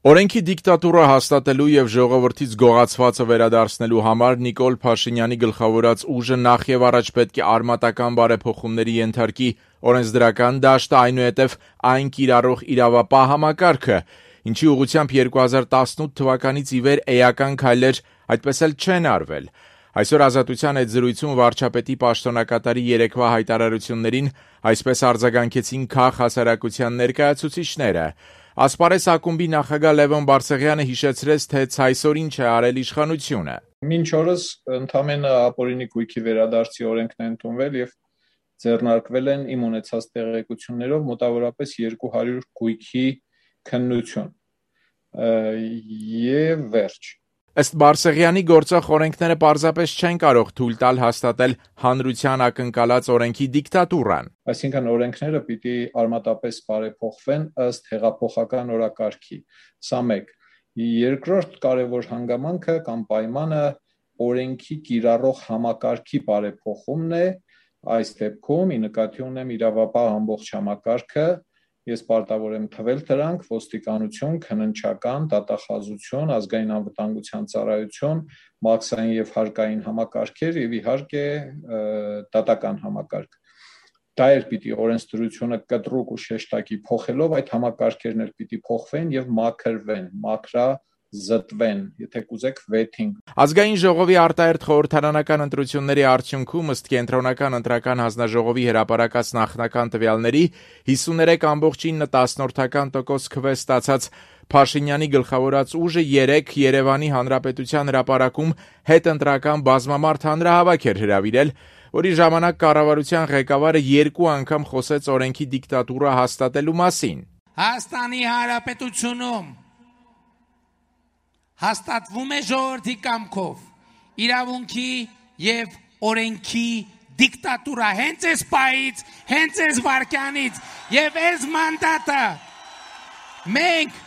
Օրենքի դիկտատուրա հաստատելու եւ ժողովրդից գողացվածը վերադարձնելու համար Նիկոլ Փաշինյանի գլխավորած ուժը նախ եւ առաջ պետք է արմատական բարեփոխումների ենթարկի օրենսդրական դաշտը, այնուհետեւ այն կիրառող իրավապահ համակարգը, ինչի ուղղությամբ 2018 թվականից ի վեր էական քայլեր այդպես էլ չեն արվել։ Այսօր Ազատության այդ զրույցում վարչապետի պաշտոնակատարի երեկվա հայտարարություններին այսպես արձագանքեցին քաղ հասարակության ներկայացուցիչները։ Ասպարես ակումբի նախագահ Լևոն Բարսեղյանը հիշեցրեց, թե ցայսօր ինչ է արել իշխանությունը։ Մինչ օրս ընդամենը ապօրինի գույքի վերադարձի օրենքն է ընդունվել եւ ձեռնարկվել են իմ ունեցած տեղեկություններով մոտավորապես 200 գույքի քննություն եւ վերջ։ Ըստ Բարսեղյանի գործող օրենքները պարզապես չեն կարող թույլ տալ հաստատել հանրության ակնկալած օրենքի դիկտատուրան։ Այսինքն օրենքները պիտի արմատապես բարեփոխվեն ըստ հեղափոխական օրակարգի։ Սա մեկ։ Երկրորդ կարևոր հանգամանքը կամ պայմանը օրենքի կիրառող համակարգի բարեփոխումն է։ Այս դեպքում ի նկատի ունեմ իրավապահ ամբողջ համակարգը։ Ես պարտավոր եմ թվել դրանք ոստիկանություն, քննչական, դատախազություն, ազգային անվտանգության ծառայություն, մաքսային եւ հարկային համակարգեր եւ իհարկե դատական համակարգ։ Դա էր պիտի օրենսդրությունը կտրուկ ու շեշտակի փոխելով այդ համակարգերն էլ պիտի փոխվեն եւ մաքրվեն, մաքրազտվեն, եթե կուզեք վեթինգ։ Ազգային ժողովի արտահերթ խորհրդարանական ընտրությունների արդյունքում ըստ կենտրոնական ընտրական հանձնաժողովի հրապարակած նախնական տվյալների 53.10% քվե ստացած Փաշինյանի գլխավորած ուժը 3 Երևանի Հանրապետության հրապարակում հետընտրական բազմամարդ հանրահավաք էր հրավիրել, որի ժամանակ կառավարության ղեկավարը 2 անգամ խոսեց օրենքի դիկտատուրա հաստատելու մասին։ Հայաստանի Հանրապետությունում հաստատվում է ժողովրդի կամքով իրավունքի եւ օրենքի դիկտատուրա հենց այս պահից, հենց այս վարքյանից եւ այս մանդատը մենք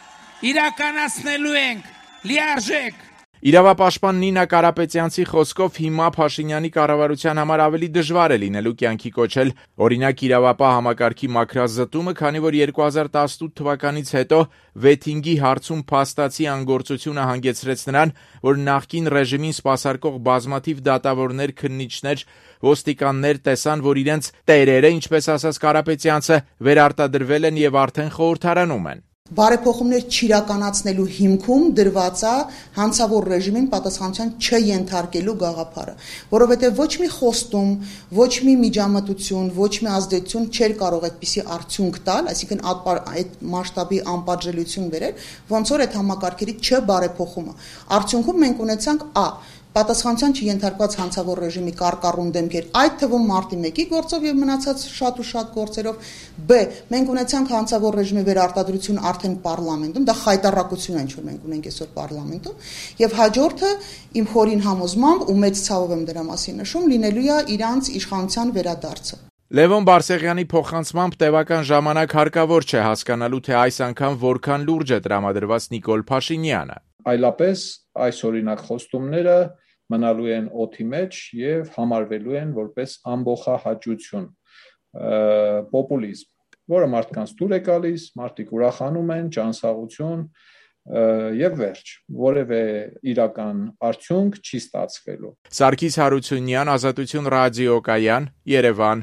իրականացնելու ենք լիարժեք։ Իրավապաշտպան Նինա Կարապետյանցի խոսքով հիմա Փաշինյանի կառավարության համար ավելի դժվար է լինելու կյանքի կոչել օրինակ իրավապահ համակարգի մաքրազտումը, քանի որ 2018 թվականից հետո վեթինգի հարցում փաստացի անգործությունը հանգեցրեց նրան, որ նախկին ռեժիմին սպասարկող բազմաթիվ դատավորներ, քննիչներ, ոստիկաններ տեսան, որ իրենց տերերը, ինչպես ասաց Կարապետյանցը, վերարտադրվել են եւ արդեն խորհրդարանում են։ Բարեփոխումներ չիրականացնելու հիմքում դրված է հանցավոր ռեժիմին պատասխանատվության չենթարկելու գաղափարը, որովհետև ոչ մի խոստում, ոչ մի միջամտություն, ոչ մի ազդեցություն չէր կարող այդպիսի արդյունք տալ, այսինքն այդ մասշտաբի անպատժելիություն բերել, ոնց որ այդ համակարգերի չբարեփոխումը։ Արդյունքում մենք ունեցանք պատասխանատվության չենթարկված հանցավոր ռեժիմի կարկառուն դեմքեր, այդ թվում մարտի 1-ի գործով եւ մնացած շատ ու շատ գործերով, բ. մենք ունեցանք հանցավոր ռեժիմի վերարտադրություն արդեն պարլամենտում, դա խայտառակություն է, ինչ որ մենք ունենք այսօր պարլամենտում, եւ հաջորդը իմ խորին համոզմամբ ու մեծ ցավով եմ դրա մասին նշում, լինելու է իրանց իշխանության վերադարձը։ Լևոն Բարսեղյանի փոխանցմամբ տևական ժամանակ հարկավոր չէ հասկանալու, թե այս անգամ որքան լուրջ է տրամադրված Նիկոլ Փաշինյանը։ Այլապես այս օրինակ խոստումները մնալու են օդի մեջ եւ համարվելու են որպես ամբողջահաճություն, պոպուլիզմ, որը մարդկանց դուր է գալիս, մարդիկ ուրախանում են, ճանսաղություն եւ վերջ, որևէ իրական արդյունք չի ստացվելու։ Սարգիս Հարությունյան, Ազատություն ռադիոկայան, Երևան։